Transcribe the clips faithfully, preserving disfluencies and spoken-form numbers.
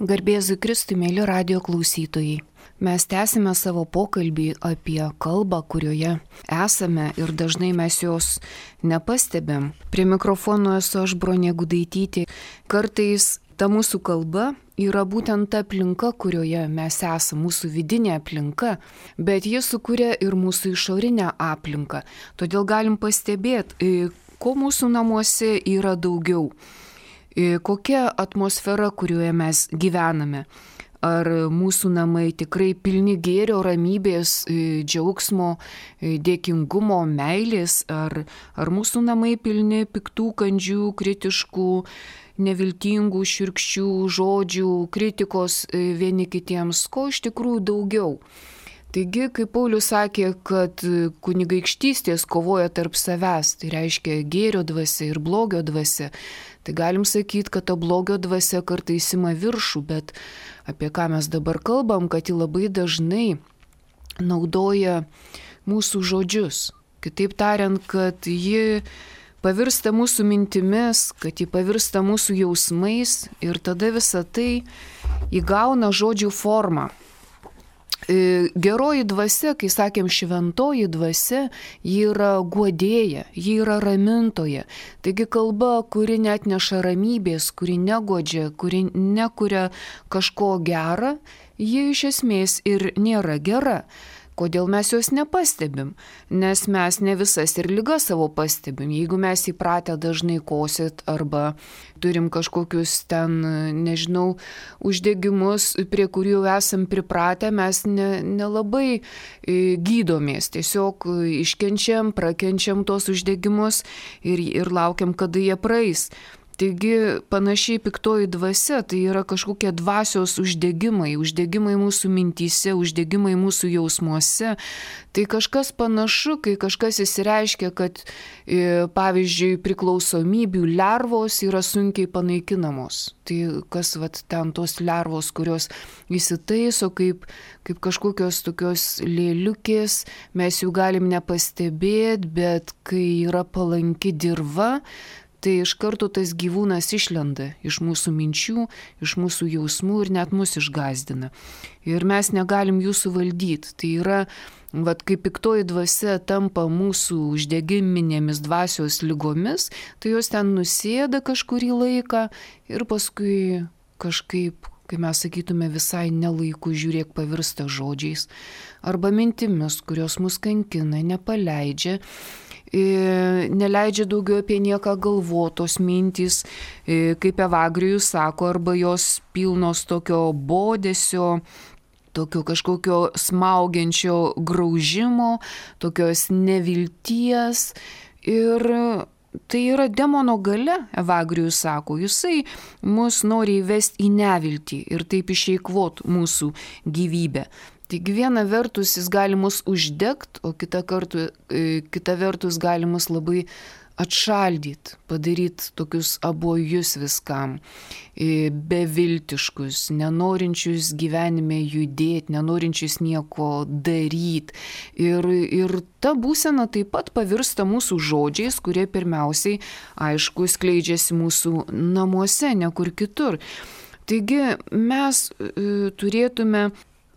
Garbėzui Kristui, mėly radijo klausytojai. Mes tęsime savo pokalbį apie kalbą, kurioje esame ir dažnai mes jos nepastebėm. Prie mikrofono esu aš, Bronė Gudaitytė. Kartais ta mūsų kalba yra būtent ta aplinka, kurioje mes esame, mūsų vidinė aplinka, bet ji sukuria ir mūsų išorinę aplinką. Todėl galim pastebėti, ko mūsų namuose yra daugiau. Kokia atmosfera, kurioje mes gyvename. Ar mūsų namai tikrai pilni gėrio, ramybės, džiaugsmo, dėkingumo, meilės, ar, ar mūsų namai pilni piktų, kandžių, kritiškų, neviltingų, šiurkščių žodžių, kritikos vieni kitiems, ko iš tikrųjų daugiau. Taigi, kaip Paulius sakė, kad kunigaikštystės kovoja tarp savęs, tai reiškia gėrio dvasia ir blogio dvasia, tai galim sakyti, kad ta blogio dvasia kartais ima viršų, bet apie ką mes dabar kalbam, kad ji labai dažnai naudoja mūsų žodžius. Kitaip tariant, kad ji pavirsta mūsų mintimis, kad ji pavirsta mūsų jausmais ir tada visa tai įgauna žodžių formą. Geroji dvasia, kai sakėm šventoji dvasia, ji yra guodėja, ji yra ramintoja. Taigi kalba, kuri net neša ramybės, kuri negodžia, kuri nekuria kažko gera, ji iš esmės ir nėra gera. Kodėl mes jos nepastebim? Nes mes ne visas ir ligas savo pastebim. Jeigu mes įpratę dažnai kosit arba turim kažkokius ten, nežinau, uždegimus, prie kurių esam pripratę, mes ne, nelabai gydomės. Tiesiog iškenčiam, prakenčiam tos uždegimus ir, ir laukiam, kada jie praeis. Taigi panašiai piktoji dvasia, tai yra kažkokie dvasios uždegimai, uždegimai mūsų mintyse, uždegimai mūsų jausmuose. Tai kažkas panašu, kai kažkas įsireiškia, kad pavyzdžiui priklausomybių lervos yra sunkiai panaikinamos. Tai kas vat ten tos lervos, kurios įsitaiso kaip, kaip kažkokios tokios lėliukės, mes jų galim nepastebėti, bet kai yra palanki dirva, tai iš karto tas gyvūnas išlenda iš mūsų minčių, iš mūsų jausmų ir net mus išgąsdina. Ir mes negalim jų suvaldyti. Tai yra, vat, kai piktoji dvasia tampa mūsų uždegiminėmis dvasios lygomis, tai jos ten nusėda kažkurį laiką ir paskui kažkaip, kai mes sakytume visai nelaiku, žiūrėk, pavirsta žodžiais arba mintimis, kurios mus kankina, nepaleidžia. Neleidžia daugiau apie nieką galvotos mintys, kaip Evagrijus sako, arba jos pilnos tokio bodesio, tokio kažkokio smaugiančio graužimo, tokios nevilties. Ir tai yra demono galia, Evagrijus sako, jisai mus nori įvesti į neviltį ir taip išeikvot mūsų gyvybę. Taigi viena vertus jis gali mus uždegt, o kita, kartu, kita vertus gali mus labai atšaldyti, padaryti tokius abojus viskam, beviltiškus, nenorinčius gyvenime judėti, nenorinčius nieko daryti. Ir, ir ta būsena taip pat pavirsta mūsų žodžiais, kurie pirmiausiai, aišku, skleidžiasi mūsų namuose, ne kur kitur. Taigi mes e, turėtume,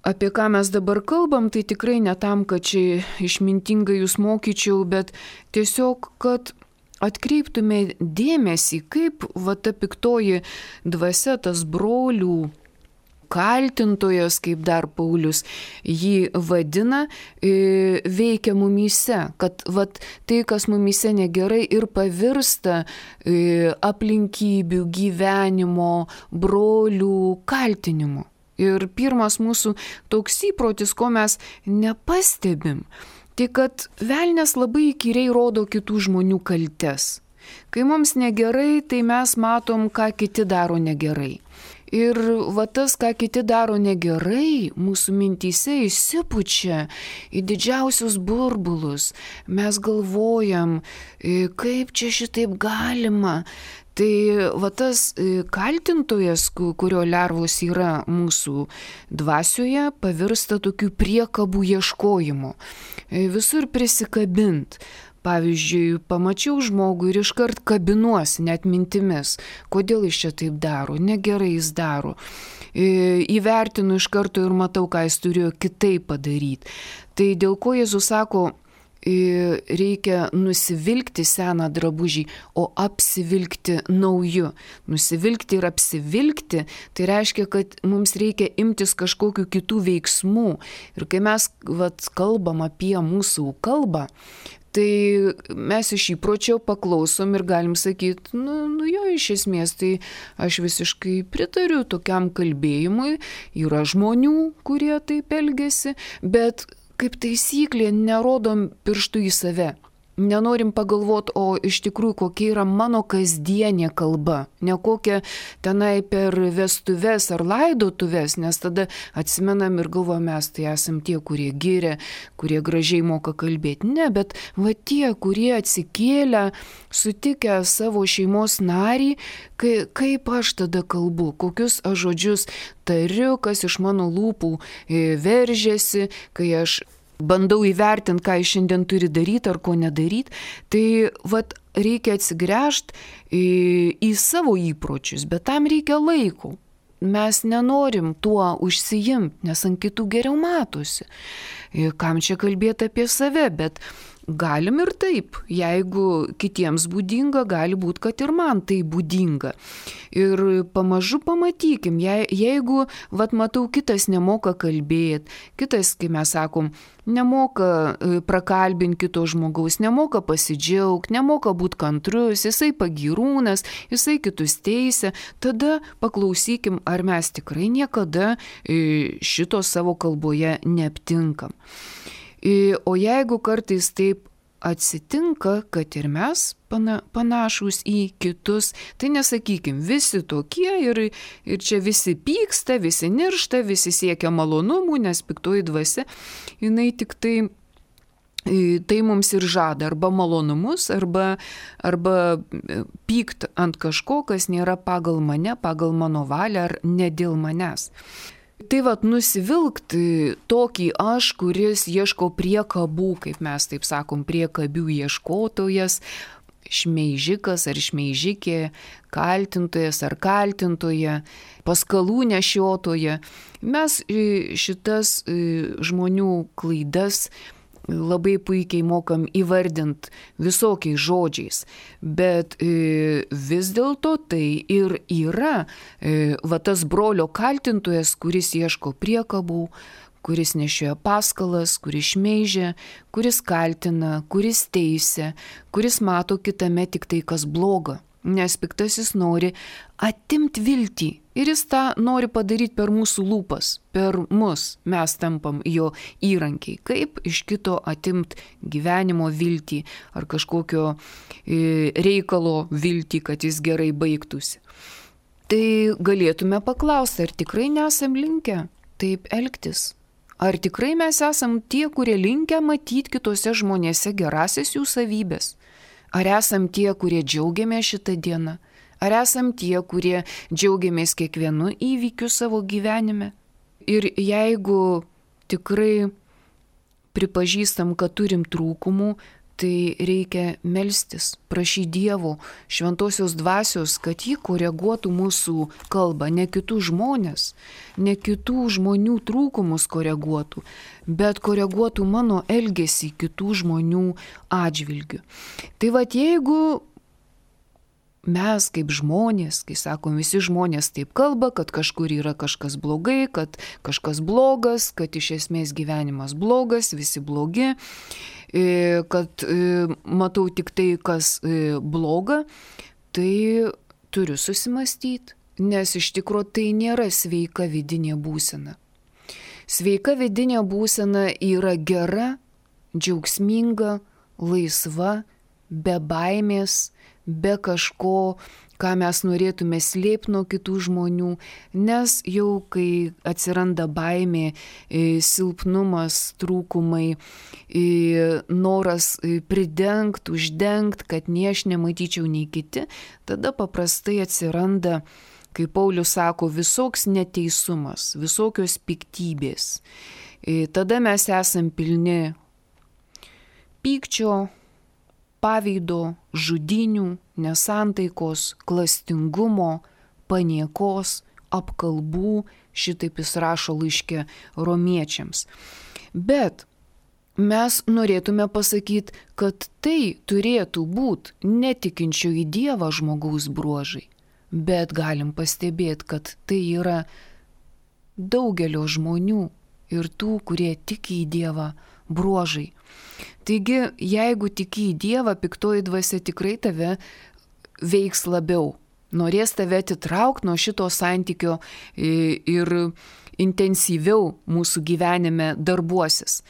apie ką mes dabar kalbam, tai tikrai ne tam, kad čia išmintingai jūs mokyčiau, bet tiesiog, kad atkreiptume dėmesį, kaip va ta piktoji dvasia, tas brolių kaltintojas, kaip dar Paulius jį vadina, veikia mumyse, kad vat, tai, kas mumyse negerai, ir pavirsta aplinkybių, gyvenimo, brolių kaltinimu. Ir pirmas mūsų toks įprotis, ko mes nepastebim, tai kad velnias labai įkyriai rodo kitų žmonių kaltes. Kai mums negerai, tai mes matom, ką kiti daro negerai. Ir va tas, ką kiti daro negerai, mūsų mintyse įsipučia į didžiausius burbulus. Mes galvojam, kaip čia šitaip galima. Tai va tas kaltintojas, kurio lervos yra mūsų dvasioje, pavirsta tokių priekabų ieškojimu. Visur prisikabint. Pavyzdžiui, pamačiau žmogų ir iškart kabinuosi net mintimis, kodėl jis čia taip daro, negerai jis daro. Įvertinu iš karto ir matau, ką jis turėjo kitaip padaryti. Tai dėl ko Jėzus sako, reikia nusivilkti seną drabužį, o apsivilkti nauju. Nusivilkti ir apsivilkti, tai reiškia, kad mums reikia imtis kažkokių kitų veiksmų. Ir kai mes vat, kalbam apie mūsų kalbą, tai mes iš įpročio paklausom ir galim sakyti, nu, nu jo, iš esmės, tai aš visiškai pritariu tokiam kalbėjimui, yra žmonių, kurie taip elgiasi, bet kaip taisyklė, nerodom pirštų į save. Nenorim pagalvoti, o iš tikrųjų kokia yra mano kasdienė kalba. Ne kokia tenai per vestuves ar laidotuves, nes tada atsimenam ir galvojam, mes tai esam tie, kurie giria, kurie gražiai moka kalbėti. Ne, bet va tie, kurie atsikėlę, sutikę savo šeimos narį, kai, kaip aš tada kalbu, kokius aš žodžius tariu, kas iš mano lūpų veržiasi, kai aš bandau įvertinti, ką jis šiandien turi daryti ar ko nedaryti, tai vat, reikia atsigręžti į, į savo įpročius, bet tam reikia laiko. Mes nenorim tuo užsiimti, nes ant kitų geriau matosi. Kam čia kalbėti apie save, bet galim ir taip. Jeigu kitiems būdinga, gali būti, kad ir man tai būdinga. Ir pamažu pamatykim, je, jeigu, vat matau, kitas nemoka kalbėti, kitas, kai mes sakom, nemoka prakalbinti kito žmogaus, nemoka pasidžiaugti, nemoka būti kantrus, jisai pagyrūnas, jisai kitus teisia, tada paklausykim, ar mes tikrai niekada šito savo kalboje neaptinkam. O jeigu kartais taip atsitinka, kad ir mes pana, panašus į kitus, tai nesakykim, visi tokie ir, ir čia visi pyksta, visi niršta, visi siekia malonumų, nes piktoji dvasia, jinai tik tai, tai mums ir žada arba malonumus, arba, arba pykt ant kažko, kas nėra pagal mane, pagal mano valią ar ne dėl manęs. Tai vat nusivilkti tokį aš, kuris ieško priekabų, kaip mes taip sakom, priekabių ieškotojas, šmeižikas ar šmeižikė, kaltintojas ar kaltintoja, paskalų nešiotoja. Mes šitas žmonių klaidas labai puikiai mokam įvardinti visokiais žodžiais, bet e, vis dėlto tai ir yra e, va tas brolio kaltintojas, kuris ieško priekabų, kuris nešioja paskalas, kuris šmeižia, kuris kaltina, kuris teisia, kuris mato kitame tik tai, kas bloga. Nes piktasis nori atimti viltį ir jis tą nori padaryti per mūsų lūpas, per mus mes tampam jo įrankiai, kaip iš kito atimti gyvenimo viltį ar kažkokio reikalo viltį, kad jis gerai baigtųsi. Tai galėtume paklausti, ar tikrai nesam linkę taip elgtis? Ar tikrai mes esam tie, kurie linkę matyti kitose žmonėse gerasias jų savybės? Ar esam tie, kurie džiaugiamės šitą dieną? Ar esam tie, kurie džiaugiamės kiekvienu įvykiu savo gyvenime? Ir jeigu tikrai pripažįstam, kad turim trūkumų, tai reikia melstis, prašyti Dievo, šventosios dvasios, kad ji koreguotų mūsų kalbą, ne kitų žmonės, ne kitų žmonių trūkumus koreguotų, bet koreguotų mano elgesį kitų žmonių atžvilgių. Tai vat jeigu mes kaip žmonės, kai sakom, visi žmonės taip kalba, kad kažkur yra kažkas blogai, kad kažkas blogas, kad iš esmės gyvenimas blogas, visi blogi, kad matau tik tai, kas bloga, tai turiu susimastyti, nes iš tikrųjų tai nėra sveika vidinė būsena. Sveika vidinė būsena yra gera, džiaugsminga, laisva, be baimės, be kažko, ką mes norėtume slėpti nuo kitų žmonių, nes jau kai atsiranda baimė, silpnumas, trūkumai, noras pridengti, uždengti, kad nei aš nematyčiau, nei kiti, tada paprastai atsiranda, kaip Paulius sako, visoks neteisumas, visokios piktybės. Tada mes esam pilni pykčio, pavydo, žudinių, nesantaikos, klastingumo, paniekos, apkalbų, šitaip jis rašo laiške romiečiams. Bet mes norėtume pasakyti, kad tai turėtų būti netikinčio į Dievą žmogaus bruožai, bet galim pastebėti, kad tai yra daugelio žmonių ir tų, kurie tiki į Dievą bruožai. Taigi, jeigu tiki į Dievą, piktoji dvasia tikrai tave veiks labiau. Norės tave atitraukti nuo šito santykio ir intensyviau mūsų gyvenime darbuosis.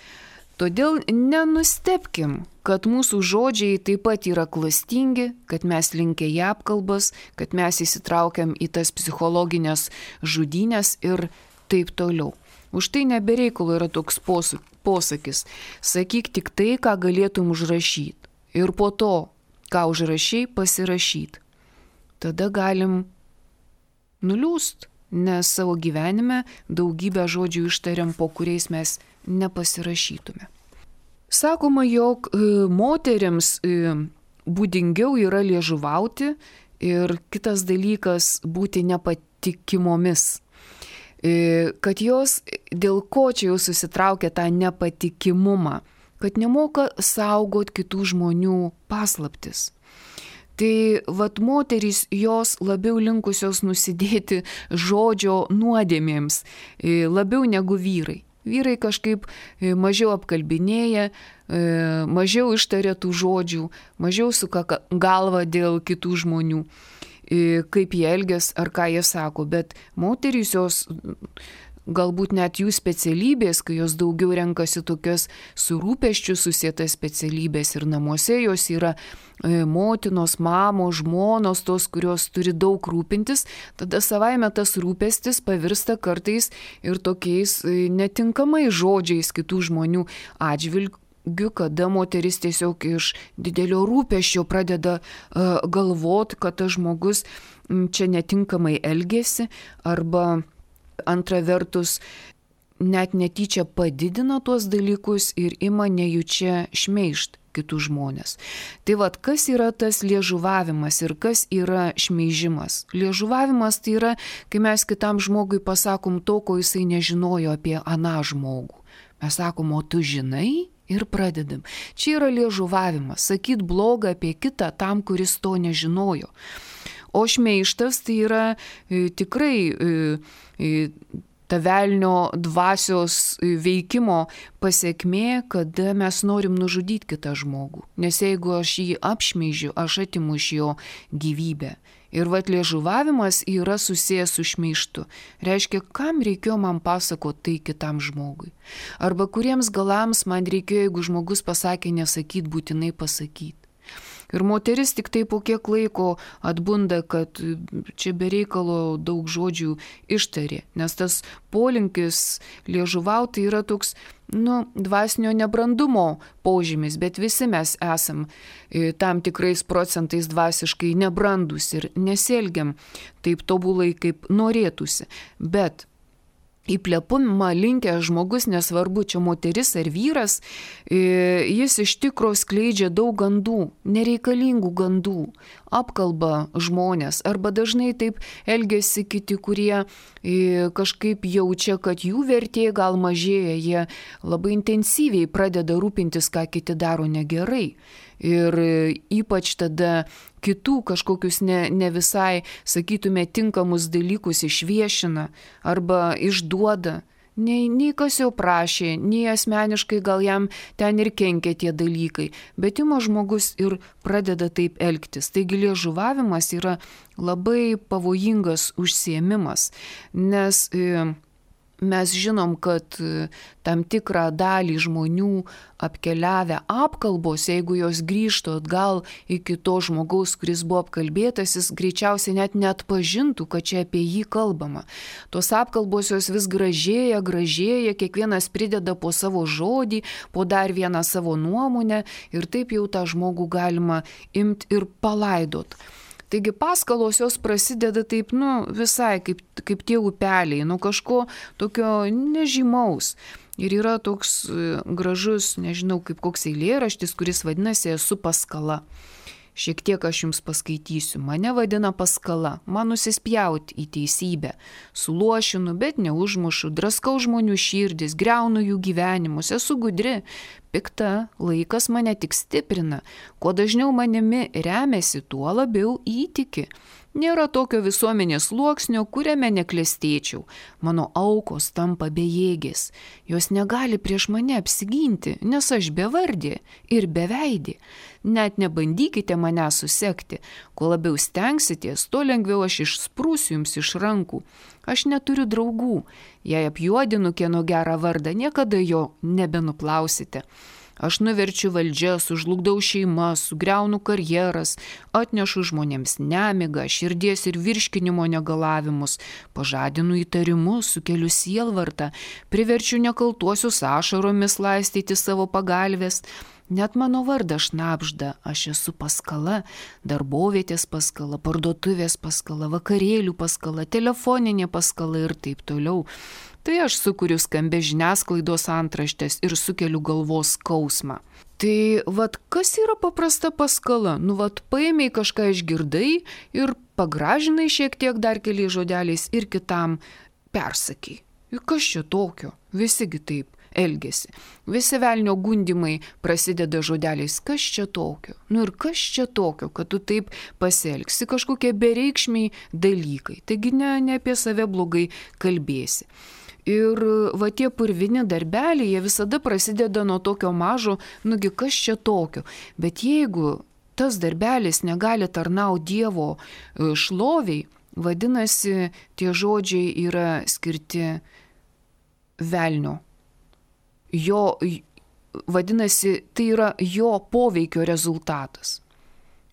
Todėl nenustebkim, kad mūsų žodžiai taip pat yra klastingi, kad mes linkę į apkalbas, kad mes įsitraukiam į tas psichologinės žudynės ir taip toliau. Už tai nebereikalo yra toks posakis. Sakyk tik tai, ką galėtum užrašyti. Ir po to, ką užrašai, pasirašyti. Tada galim nuliūst, nes savo gyvenime daugybę žodžių ištariam, po kuriais mes nepasirašytume. Sakoma, jog moteriams būdingiau yra liežuvauti ir kitas dalykas būti nepatikimomis. Kad jos dėl ko čia jau susitraukia tą nepatikimumą, kad nemoka saugot kitų žmonių paslaptis. Tai vat moterys jos labiau linkusios nusidėti žodžio nuodėmėms, labiau negu vyrai. Vyrai kažkaip mažiau apkalbinėja, mažiau ištaria tų žodžių, mažiau suka galvą dėl kitų žmonių, kaip jie elgias ar ką jie sako, bet moterys jos galbūt net jų specialybės, kai jos daugiau renkasi tokias su rūpesčiu susietas specialybės ir namuose jos yra motinos, mamos, žmonos, tos, kurios turi daug rūpintis, tada savaime tas rūpestis pavirsta kartais ir tokiais netinkamais žodžiais kitų žmonių atžvilgiu, kada moteris tiesiog iš didelio rūpesčio pradeda uh, galvoti, kad tas žmogus m, čia netinkamai elgėsi arba antra vertus, net netyčia padidina tuos dalykus ir ima nejučia šmeižt kitų žmonės. Tai vad, kas yra tas liežuvavimas ir kas yra šmeižimas? Liežuvavimas tai yra, kai mes kitam žmogui pasakom to, ko jisai nežinojo apie aną žmogų. Mes sakom, o tu žinai? Ir pradedam. Čia yra liežuvavimas, sakyt blogą apie kitą tam, kuris to nežinojo. O šmeižtas tai yra e, tikrai e, e, ta velnio dvasios veikimo pasekmė, kada mes norim nužudyti kitą žmogų. Nes jeigu aš jį apšmeižiu, aš atimu iš jo gyvybę. Ir vat liežuvavimas yra susijęs su šmeižtu. Reiškia, kam reikėjo man pasakoti tai kitam žmogui. Arba kuriems galams man reikėjo, jeigu žmogus pasakė nesakyt, būtinai pasakyti. Ir moteris tik tai po kiek laiko atbunda, kad čia bereikalo daug žodžių ištarė. Nes tas polinkis liežuvauti yra toks, nu, dvasinio nebrandumo požymis, bet visi mes esam tam tikrais procentais dvasiškai nebrandus ir nesielgiam taip tobulai, kaip norėtųsi. Bet į plepumą linkęs žmogus, nesvarbu, čia moteris ar vyras, jis iš tikro skleidžia daug gandų, nereikalingų gandų, apkalba žmonės, arba dažnai taip elgiasi kiti, kurie kažkaip jaučia, kad jų vertė gal mažėja, jie labai intensyviai pradeda rūpintis, ką kiti daro negerai. Ir ypač tada kitų kažkokius ne, ne visai, sakytume, tinkamus dalykus išviešina arba išduoda. Nei, nei kas jau prašė, nei asmeniškai gal jam ten ir kenkia tie dalykai, bet ima žmogus ir pradeda taip elgtis. Taigi liežuvavimas yra labai pavojingas užsiėmimas, nes e, mes žinom, kad tam tikrą dalį žmonių apkeliavę apkalbos, jeigu jos grįžtų atgal iki to žmogaus, kuris buvo apkalbėtas, jis greičiausiai net neatpažintų, kad čia apie jį kalbama. Tos apkalbos jos vis gražėja, gražėja, kiekvienas prideda po savo žodį, po dar vieną savo nuomonę ir taip jau tą žmogų galima imti ir palaidot. Taigi paskalos jos prasideda taip, nu, visai kaip, kaip tie upeliai, nu kažko tokio nežymaus. Ir yra toks gražus, nežinau, kaip koks eilėraštis, kuris vadinasi Esu paskala. Šiek tiek aš jums paskaitysiu. Mane vadina paskala, man nusispjauti į teisybę. Suluošinu, bet neužmušu, draskau žmonių širdis, greunu jų gyvenimus, esu gudri. Pikta, laikas mane tik stiprina. Kuo dažniau manimi remiasi, tuo labiau įtiki. Nėra tokio visuomenės sluoksnio, kuriame neklestėčiau. Mano aukos tampa bejėgės. Jos negali prieš mane apsiginti, nes aš bevardė ir beveidė. Net nebandykite mane susekti. Kuo labiau stengsitės, tuo lengviau aš išsprūsiu jums iš rankų. Aš neturiu draugų. Jei apjuodinu kieno gerą vardą, niekada jo nebenuplausite. Aš nuverčiu valdžias, sužlugdau šeimas, sugriaunu karjeras, atnešu žmonėms nemigą, širdies ir virškinimo negalavimus, pažadinu įtarimus, sukeliu sielvartą, priverčiu nekaltuosius ašaromis laistyti savo pagalvės. Net mano vardas šnabžda, aš esu paskala, darbovietės paskala, parduotuvės paskala, vakarėlių paskala, telefoninė paskala ir taip toliau. Tai aš sukuriu skambę žiniasklaidos antraštės ir sukeliu galvos skausmą. Tai vat kas yra paprasta paskala? Nu vat paėmei kažką išgirdai ir pagražinai šiek tiek dar keliais žodeliais ir kitam persakai. Ir kas čia tokio? Visigi taip elgesi. Visi velnio gundimai prasideda žodeliais, kas čia tokio? Nu ir kas čia tokio, kad tu taip pasielgsi, kažkokie bereikšmiai dalykai. Taigi ne, ne apie save blogai kalbėsi. Ir va tie purvini darbeliai, jie visada prasideda nuo tokio mažo, nugi kas čia tokio. Bet jeigu tas darbelis negali tarnauti Dievo šloviai, vadinasi, tie žodžiai yra skirti velnio. Jo, vadinasi, tai yra jo poveikio rezultatas.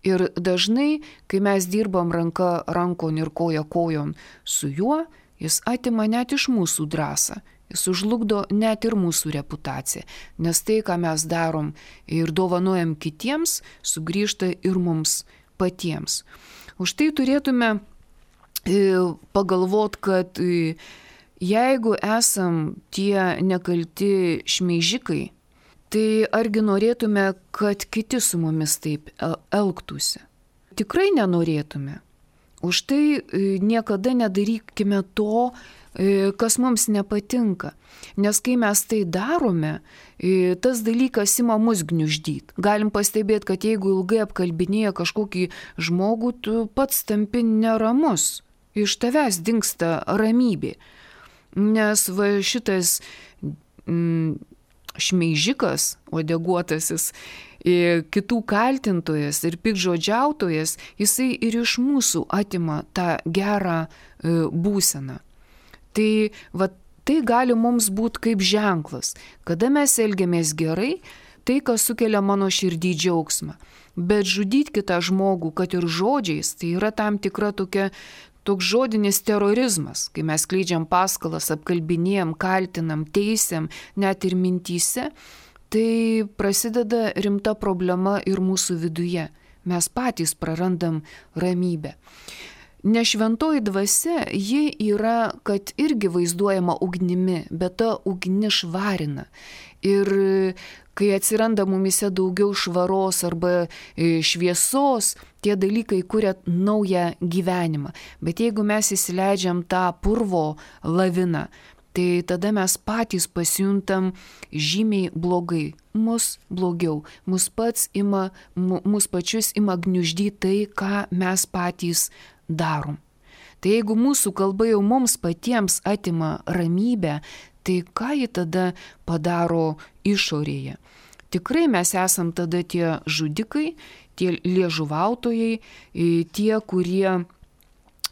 Ir dažnai, kai mes dirbam ranka rankon ir koja kojon su juo, jis atima net iš mūsų drąsą, jis užlugdo net ir mūsų reputaciją, nes tai, ką mes darom ir dovanojam kitiems, sugrįžta ir mums patiems. Už tai turėtume pagalvoti, kad jeigu esam tie nekalti šmeižikai, tai argi norėtume, kad kiti su mumis taip elgtųsi? Tikrai nenorėtume. Už tai niekada nedarykime to, kas mums nepatinka. Nes kai mes tai darome, tas dalykas ima mus gniuždyti. Galim pastebėti, kad jeigu ilgai apkalbinėja kažkokį žmogų, tu pats tampi neramus. Iš tavęs dingsta ramybė. Nes va šitas mm, šmeižikas, uodeguotasis, kitų kaltintojas ir pikžodžiautojas, jisai ir iš mūsų atima tą gerą būseną. Tai, va, tai gali mums būti kaip ženklas. Kada mes elgiamės gerai, tai, kas sukelia mano širdį džiaugsmą. Bet žudyti kitą žmogų, kad ir žodžiais, tai yra tam tikra tokia, toks žodinis terorizmas, kai mes skleidžiam paskalas, apkalbinėjam, kaltinam, teisiam, net ir mintyse, tai prasideda rimta problema ir mūsų viduje. Mes patys prarandam ramybę. Nešventoji dvasia, ji yra, kad irgi vaizduojama ugnimi, bet ta ugni švarina. Ir kai atsiranda mumise daugiau švaros arba šviesos, tie dalykai kuria naują gyvenimą. Bet jeigu mes įsileidžiam tą purvo laviną, tai tada mes patys pasijuntam žymiai blogai, mus blogiau, mus, pats ima, mus pačius ima gniuždyti tai, ką mes patys darom. Tai jeigu mūsų kalba jau mums patiems atima ramybę, tai ką ji tada padaro išorėje? Tikrai mes esam tada tie žudikai, tie liežuvautojai, tie, kurie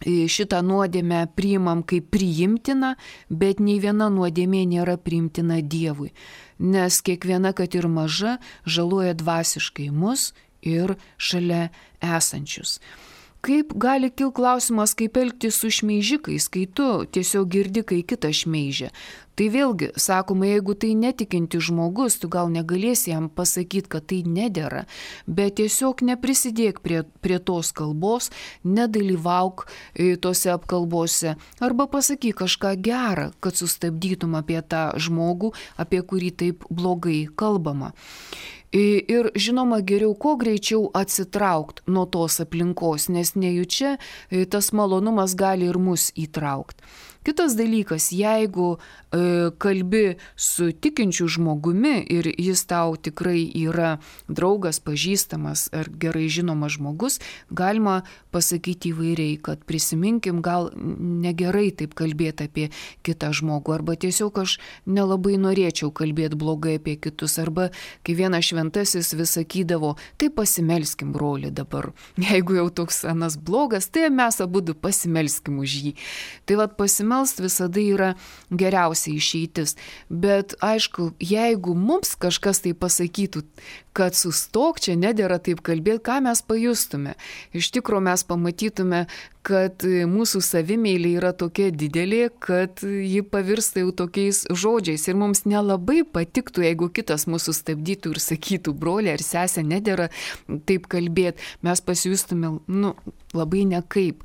šitą nuodėmę priimam kaip priimtiną, bet nei viena nuodėmė nėra priimtina Dievui, nes kiekviena, kad ir maža, žaloja dvasiškai mus ir šalia esančius. Kaip gali kil klausimas, kaip elgtis su šmeižikais, kai tu tiesiog girdi, kai kitą šmeižia. Tai vėlgi, sakoma, jeigu tai netikinti žmogus, tu gal negalėsi jam pasakyti, kad tai nedera, bet tiesiog neprisidėk prie, prie tos kalbos, nedalyvauk tose apkalbose arba pasakyk kažką gerą, kad sustabdytum apie tą žmogų, apie kurį taip blogai kalbama. Ir žinoma, geriau kuo greičiau atsitraukti nuo tos aplinkos, nes nejučia tas malonumas gali ir mus įtraukti. Kitas dalykas, jeigu e, kalbi su tikinčiu žmogumi ir jis tau tikrai yra draugas, pažįstamas ar gerai žinomas žmogus, galima pasakyti įvairiai, kad prisiminkim, gal negerai taip kalbėti apie kitą žmogų, arba tiesiog aš nelabai norėčiau kalbėti blogai apie kitus, arba kai vienas šventasis vis sakydavo, tai pasimelskim broli dabar, jeigu jau toks anas blogas, tai mes abudu pasimelskim už jį. Tai vat pasimelskim Melst visada yra geriausia išeitis. Bet aišku, jeigu mums kažkas tai pasakytų, kad sustok, čia nedėra taip kalbėti, ką mes pajustume. Iš tikrųjų mes pamatytume, kad mūsų savimeilė yra tokia didelė, kad ji pavirsta jau tokiais žodžiais. Ir mums nelabai patiktų, jeigu kitas mūsų stabdytų ir sakytų, broli ar sesė, nedėra taip kalbėti. Mes pasijustume, nu, labai nekaip.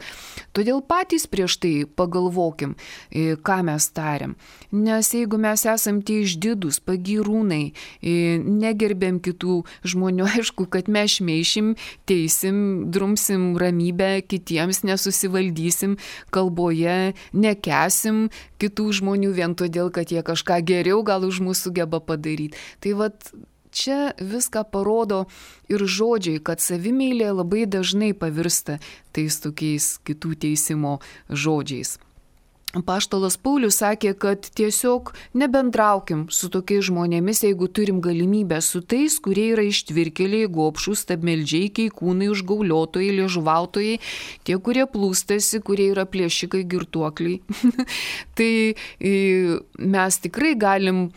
Todėl patys prieš tai pagalvokim, ką mes tariam. Nes jeigu mes esam tie išdidūs, pagyrūnai, negerbėm kitų žmonių, aišku, kad mes šmeišim, teisim, drumsim ramybę kitiems, nesusivaldysim kalboje, nekesim kitų žmonių vien todėl, kad jie kažką geriau gal už mus sugeba padaryti. Tai vat čia viską parodo ir žodžiai, kad savimeilė labai dažnai pavirsta tais tokiais kitų teisimo žodžiais. Apaštalas Paulius sakė, kad tiesiog nebendraukim su tokiais žmonėmis, jeigu turim galimybę, su tais, kurie yra ištvirkėliai, gobšūs, stabmeldžiai, keikūnai, užgauliotojai, liežuvautojai, tie, kurie plūstasi, kurie yra plėšikai, girtuokliai. Tai mes tikrai galim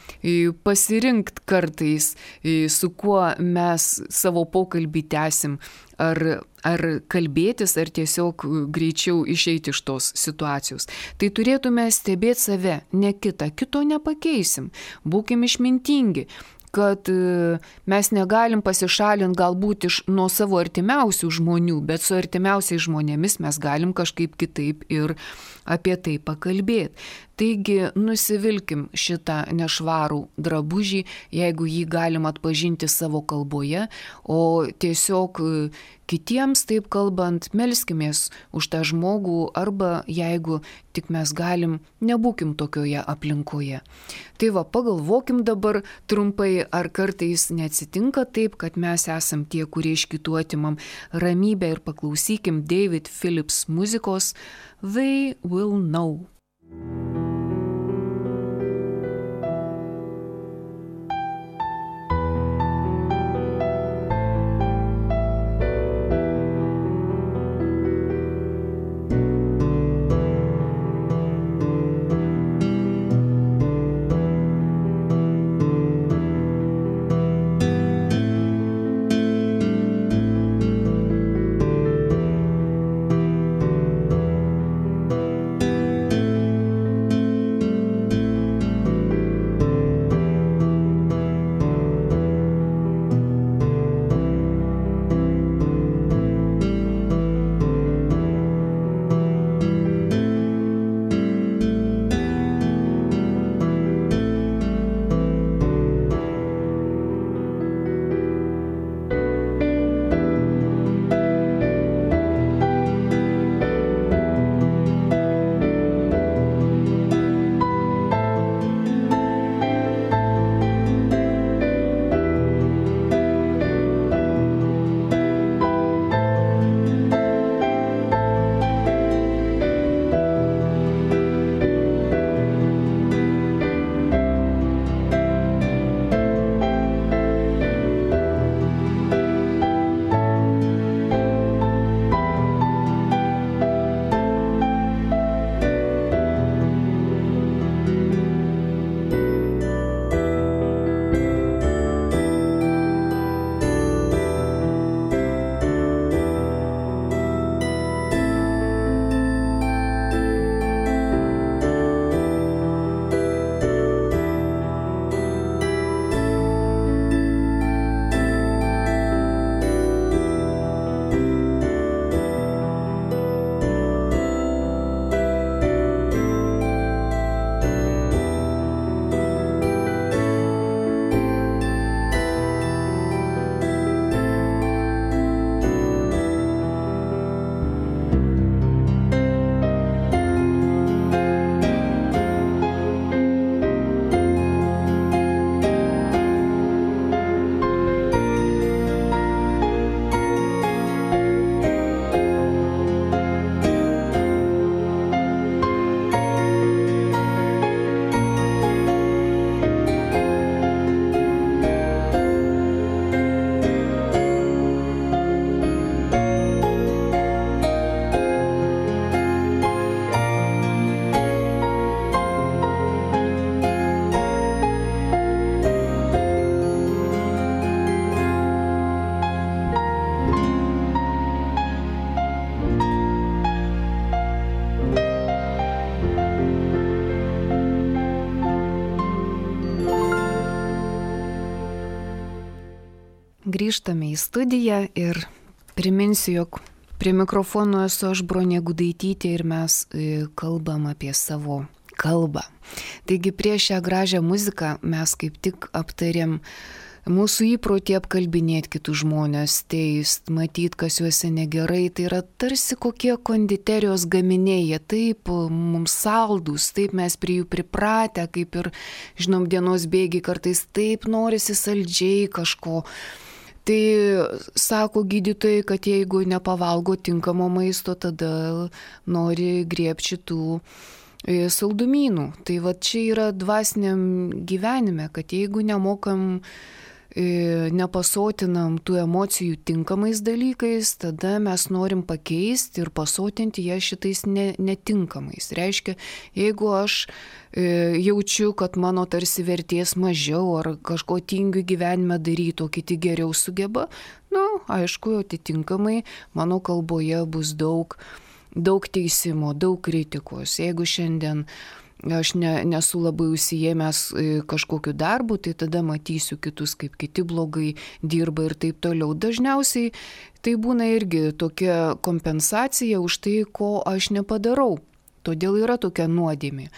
pasirinkti kartais, su kuo mes savo pokalbį tęsim. Ar, ar kalbėtis, ar tiesiog greičiau išeiti iš tos situacijos. Tai turėtume stebėti save, ne kitą, kito nepakeisim. Būkim išmintingi, kad mes negalim pasišalinti galbūt iš nuo savo artimiausių žmonių, bet su artimiausiais žmonėmis mes galim kažkaip kitaip ir apie tai pakalbėti. Taigi nusivilkim šitą nešvarų drabužį, jeigu jį galim atpažinti savo kalboje, o tiesiog kitiems taip kalbant, melskimės už tą žmogų, arba jeigu tik mes galim, nebūkim tokioje aplinkoje. Tai va, pagalvokim dabar trumpai, ar kartais neatsitinka taip, kad mes esam tie, kurie iš kitų atimam ramybę, ir paklausykim David Phillips muzikos They Will Know. grįžtame į studiją ir priminsiu, jog prie mikrofono esu aš, Bronė Gudaitytė, ir mes kalbam apie savo kalbą. Taigi prieš šią gražią muziką mes kaip tik aptarėm mūsų įprotį apkalbinėti kitus žmonės, teist, matyti, kas juose negerai. Tai yra tarsi kokie konditerijos gaminiai, jie taip mums saldus, taip mes prie jų pripratę, kaip ir, žinom, dienos bėgiai kartais taip norisi saldžiai kažko. Tai sako gydytojai, kad jeigu nepavalgo tinkamo maisto, tada nori griebti šitų saldumynų. Tai va čia yra dvasiniam gyvenime, kad jeigu nemokam, nepasotinam tų emocijų tinkamais dalykais, tada mes norim pakeisti ir pasotinti ją šitais ne, netinkamais. Reiškia, jeigu aš e, jaučiu, kad mano tarsi vertės mažiau ar kažko tingiu gyvenime daryti, o kiti geriau sugeba, nu, aišku, atitinkamai mano kalboje bus daug, daug teisimo, daug kritikos. Jeigu šiandien aš ne, nesu labai užsiėmęs kažkokiu darbu, tai tada matysiu kitus, kaip kiti blogai dirba ir taip toliau. Dažniausiai tai būna irgi tokia kompensacija už tai, ko aš nepadarau. Todėl yra tokia nuodėmė,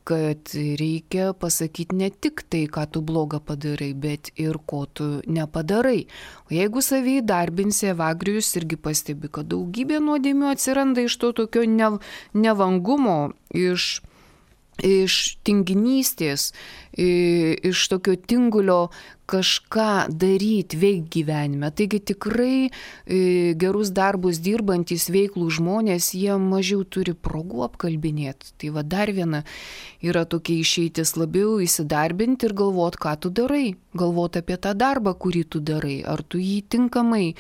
kad reikia pasakyti ne tik tai, ką tu blogą padarai, bet ir ko tu nepadarai. O jeigu savį darbinsi, Evagrijus irgi pastebi, kad daugybė nuodėmių atsiranda iš to tokio ne, nevangumo, iš iš tinginystės, iš tokio tingulio kažką daryti, veikti gyvenime. Taigi tikrai gerus darbus dirbantys veiklų žmonės, jie mažiau turi progų apkalbinėti. Tai va dar viena yra tokia išeitis, labiau įsidarbinti ir galvoti, ką tu darai. Galvoti apie tą darbą, kurį tu darai. Ar tu jį tinkamai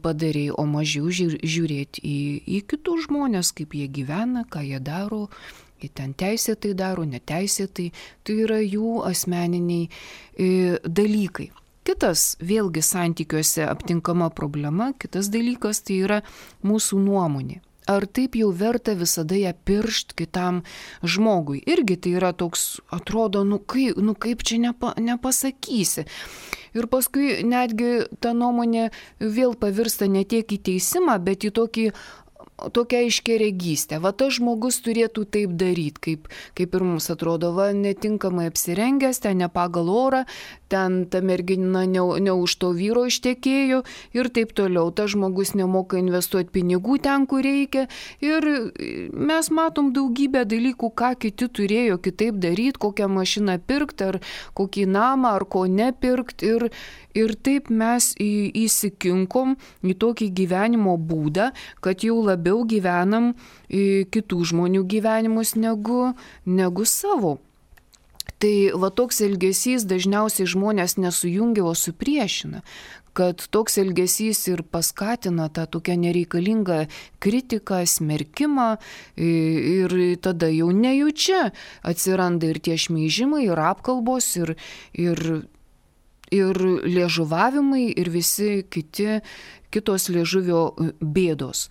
padarai, o mažiau žiūrėti į, į kitus žmonės, kaip jie gyvena, ką jie daro. Jie ten teisėtai daro, neteisėtai, tai yra jų asmeniniai e, dalykai. Kitas, vėlgi santykiuose aptinkama problema, kitas dalykas tai yra mūsų nuomonė. Ar taip jau verta visada ją piršt kitam žmogui? Irgi tai yra toks, atrodo, nu kaip, nu kaip čia nepa, nepasakysi. Ir paskui netgi ta nuomonė vėl pavirsta ne tiek į teisimą, bet į tokį tokia aiškiaregystė. Va tas žmogus turėtų taip daryti, kaip, kaip ir mums atrodo, va netinkamai apsirengęs, ten ne pagal orą, ten ta mergina ne, ne už to vyro ištekėjo ir taip toliau. Tas žmogus nemoka investuoti pinigų ten, kur reikia. Ir mes matom daugybę dalykų, ką kiti turėjo kitaip daryti, kokią mašiną pirkti, ar kokį namą, ar ko nepirkti. Ir, ir taip mes į, įsikinkom į tokį gyvenimo būdą, kad jau labiau gyvenam kitų žmonių gyvenimus negu, negu savo. Tai va toks elgesys dažniausiai žmonės nesujungia, o supriešina, kad toks elgesys ir paskatina tą tokią nereikalingą kritiką, smerkimą ir tada jau nejučia atsiranda ir tie šmeižimai, ir apkalbos, ir, ir, ir liežuvavimai, ir visi kiti, kitos liežuvio bėdos.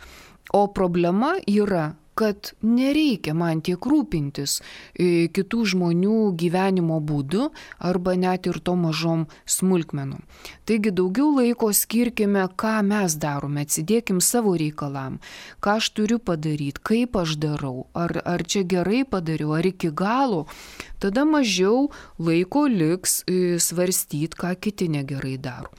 O problema yra, kad nereikia man tiek rūpintis kitų žmonių gyvenimo būdu arba net ir to mažom smulkmenom. Taigi daugiau laiko skirkime, ką mes darome, atsidėkim savo reikalam, ką aš turiu padaryti, kaip aš darau, ar, ar čia gerai padariau, ar iki galo. Tada mažiau laiko liks svarstyti, ką kiti negerai daro.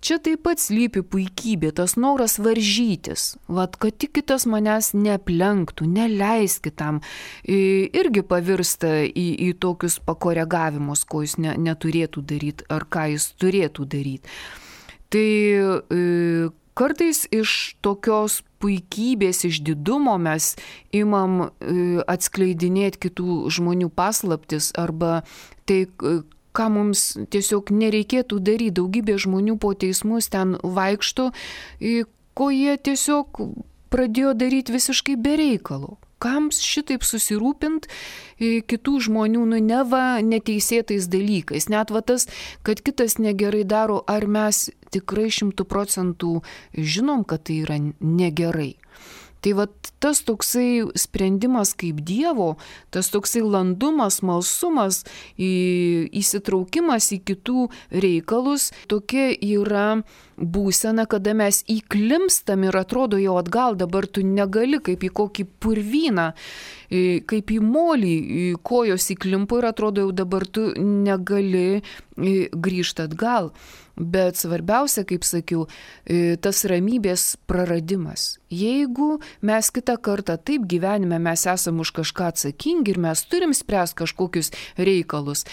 Čia taip pat slypi puikybė, tas noras varžytis, vat, kad tik kitas manęs neaplenktų, neleis kitam, irgi pavirsta į, į tokius pakoregavimus, ko jis ne, neturėtų daryti ar ką jis turėtų daryti. Tai e, kartais iš tokios puikybės, iš didumo mes imam e, atskleidinėti kitų žmonių paslaptis arba tai, ką mums tiesiog nereikėtų daryti. Daugybė žmonių po teismus ten vaikšto, ko jie tiesiog pradėjo daryti visiškai be reikalo. Kam šitaip susirūpint kitų žmonių, nu neva neteisėtais dalykais. Net va tas, kad kitas negerai daro, ar mes tikrai šimtų procentų žinom, kad tai yra negerai. Tai va tas toksai sprendimas kaip Dievo, tas toksai landumas, smalsumas, įsitraukimas į kitų reikalus, tokia yra būsena, kada mes įklimstam ir atrodo jau atgal, dabar tu negali kaip į kokį purvyną, kaip į molį, kojos įklimpo ir atrodo jau dabar tu negali grįžti atgal. Bet svarbiausia, kaip sakiau, tas ramybės praradimas. Jeigu mes kitą kartą taip gyvenime mes esam už kažką atsakingi ir mes turim spręsti kažkokius reikalus,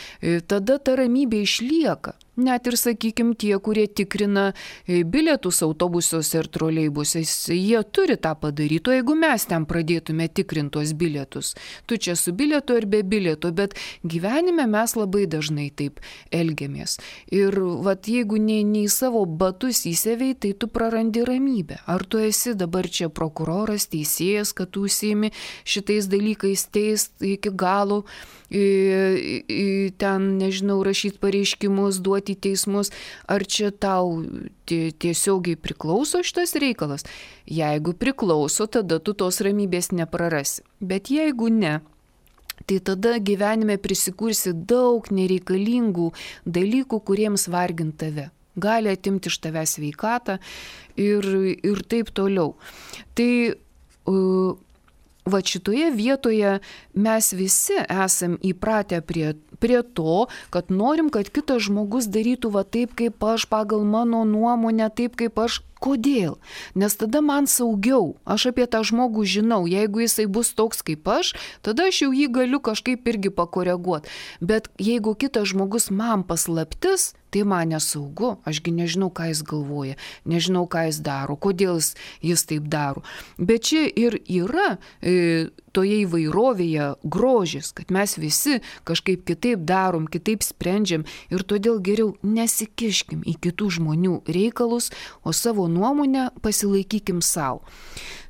tada ta ramybė išlieka. Net ir, sakykime, tie, kurie tikrina bilietus autobusuose ir troleibusuose, jie turi tą padaryti, o jeigu mes ten pradėtume tikrinti tuos bilietus, tu čia su bilietu ir be bilieto, bet gyvenime mes labai dažnai taip elgiamės. Ir vat, jeigu nei, nei savo batus įsevei, tai tu prarandi ramybę. Ar tu esi dabar čia prokuroras, teisėjas, kad tu užsiimi šitais dalykais teist iki galo, ten, nežinau, rašyti pareiškimus, duoti teismus, ar čia tau tiesiogiai priklauso šitas reikalas? Jeigu priklauso, tada tu tos ramybės neprarasi. Bet jeigu ne, tai tada gyvenime prisikursi daug nereikalingų dalykų, kuriems vargint tave. Gali atimti iš tave sveikatą ir, ir taip toliau. Tai uh, va šitoje vietoje mes visi esam įpratę prie, prie to, kad norim, kad kitas žmogus darytų va taip, kaip aš, pagal mano nuomonę, taip, kaip aš. Kodėl? Nes tada man saugiau. Aš apie tą žmogų žinau. Jeigu jisai bus toks kaip aš, tada aš jau jį galiu kažkaip irgi pakoreguoti. Bet jeigu kitas žmogus man paslaptis, tai man nesaugu. Ašgi nežinau, ką jis galvoja, nežinau, ką jis daro, kodėl jis, jis taip daro. Bet čia ir yra e, toje įvairovėje grožis, kad mes visi kažkaip kitaip darom, kitaip sprendžiam ir todėl geriau nesikiškim į kitų žmonių reikalus, o savo nuomonę pasilaikykim savo.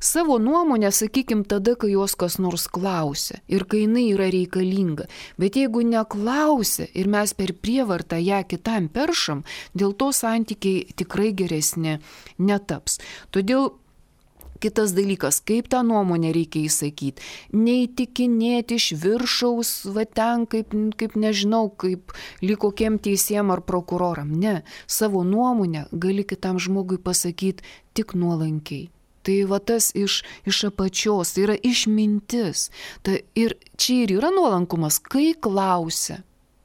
Savo nuomonę sakykim tada, kai jos kas nors klausia ir kai jinai yra reikalinga. Bet jeigu neklausia ir mes per prievartą ją kitam peršam, dėl to santykiai tikrai geresni netaps. Todėl kitas dalykas, kaip tą nuomonę reikia įsakyti. Neįtikinėti iš viršaus, va ten, kaip, kaip nežinau, kaip lyg kokiem teisėjam ar prokuroram. Ne, savo nuomonę gali kitam žmogui pasakyti tik nuolankiai. Tai va tas iš, iš apačios, tai yra išmintis. Ta, ir čia ir yra nuolankumas, kai klausia.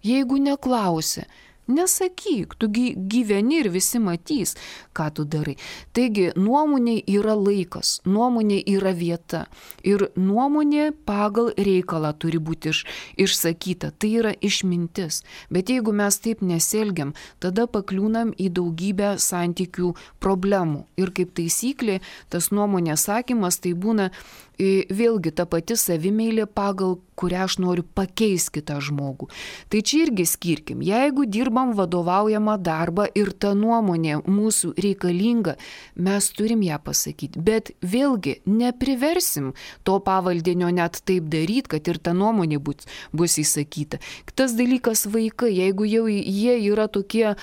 Jeigu neklausia, nesakyk, tu gyveni ir visi matys, ką tu darai. Taigi nuomonė yra laikas, nuomonė yra vieta ir nuomonė pagal reikalą turi būti iš, išsakyta. Tai yra išmintis. Bet jeigu mes taip nesielgiam, tada pakliūnam į daugybę santykių problemų. Ir kaip taisyklė, tas nuomonės sakymas tai būna vėlgi ta pati savimeilė, pagal kurią aš noriu pakeisti kitą žmogų. Tai čia irgi skirkim. Jeigu dirbam vadovaujamą darbą ir ta nuomonė mūsų reikalinga, mes turim ją pasakyti. Bet vėlgi nepriversim to pavaldinio net taip daryti, kad ir ta nuomonė bus, bus įsakyta. Kitas dalykas vaikai, jeigu jau jie yra tokie e,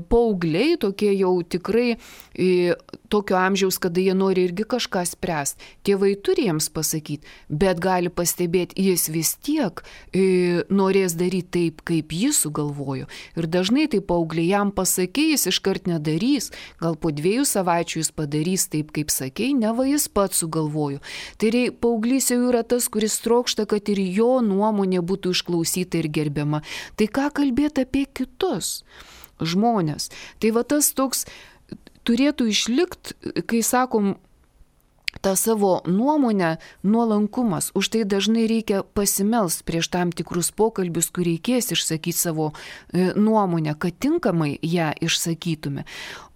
paaugliai, tokie jau tikrai e, tokio amžiaus, kada jie nori irgi kažką spręsti, tėvai turi jiems pasakyti, bet gali pastebėti, jis vis tiek e, norės daryti taip, kaip jis sugalvojo. Ir dažnai tai paaugliai jam pasakė, jis iškart nedarys, gal po dviejų savaičių jis padarys taip, kaip sakei, neva jis pats sugalvojo. Tai rei, paauglys jau yra tas, kuris trokšta, kad ir jo nuomonė būtų išklausyta ir gerbiama. Tai ką kalbėti apie kitus žmonės? Tai va tas toks turėtų išlikti, kai sakom, tą savo nuomonę, nuolankumas. Už tai dažnai reikia pasimelst prieš tam tikrus pokalbius, kur reikės išsakyti savo e, nuomonę, kad tinkamai ją išsakytume.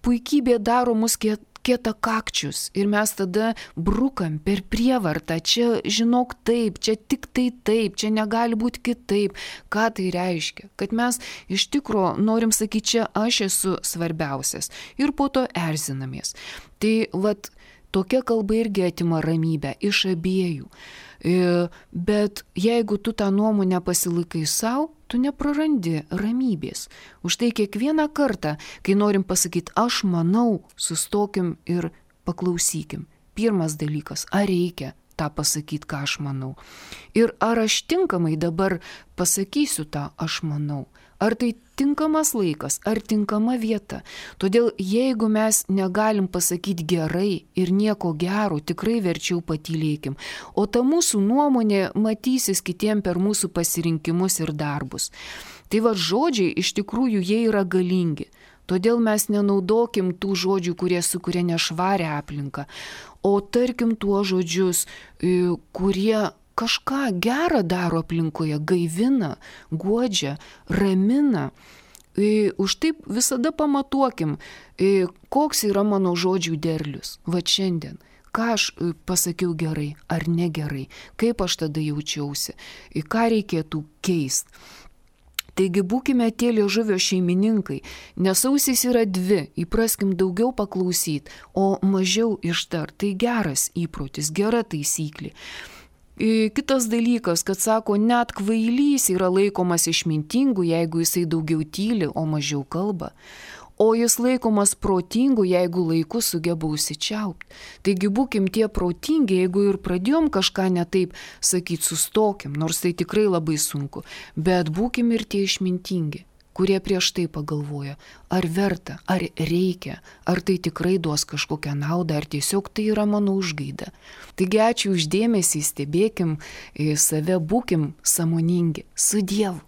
Puikybė daro mus kiet kietakakčius ir mes tada brukam per prievartą. Čia žinok taip, čia tik tai taip, čia negali būti kitaip. Ką tai reiškia? Kad mes iš tikro norim sakyti, čia aš esu svarbiausias ir po to erzinamės. Tai vat tokia kalba irgi atima ramybę iš abiejų. Bet jeigu tu tą nuomonę pasilaikai savo, tu neprarandi ramybės. Už tai kiekvieną kartą, kai norim pasakyti, aš manau, sustokim ir paklausykim. pirmas dalykas, ar reikia tą pasakyti, ką aš manau. Ir ar aš tinkamai dabar pasakysiu tą aš manau. Ar tai tinkamas laikas, ar tinkama vieta. Todėl jeigu mes negalim pasakyti gerai ir nieko gero, tikrai verčiau patylėkim. O ta mūsų nuomonė matysis kitiem per mūsų pasirinkimus ir darbus. Tai va žodžiai iš tikrųjų jie yra galingi. Todėl mes nenaudokim tų žodžių, kurie sukuria nešvarę aplinką, o tarkim tuos žodžius, kurie kažką gerą daro aplinkoje, gaivina, guodžia, ramina. Už taip visada pamatuokim, koks yra mano žodžių derlius. Va šiandien. Ką aš pasakiau gerai ar negerai, kaip aš tada jaučiausi, ką reikėtų keisti. Taigi būkime tie liežuvio šeimininkai, nes ausys yra dvi, įpraskim daugiau paklausyti, o mažiau ištart. Tai geras įprotis, gera taisyklė. Kitas dalykas, kad sako, net kvailys yra laikomas išmintingu, jeigu jisai daugiau tyli, o mažiau kalba. O jis laikomas protingu, jeigu laiku sugeba užsičiaupti. Taigi būkim tie protingi, jeigu ir pradėjom kažką ne taip sakyti, sustokim, nors tai tikrai labai sunku, bet būkim ir tie išmintingi, kurie prieš tai pagalvoja, ar verta, ar reikia, ar tai tikrai duos kažkokią naudą, ar tiesiog tai yra mano užgaida. Taigi ačiū už dėmesį, stebėkim save, būkim sąmoningi. Su Dievu.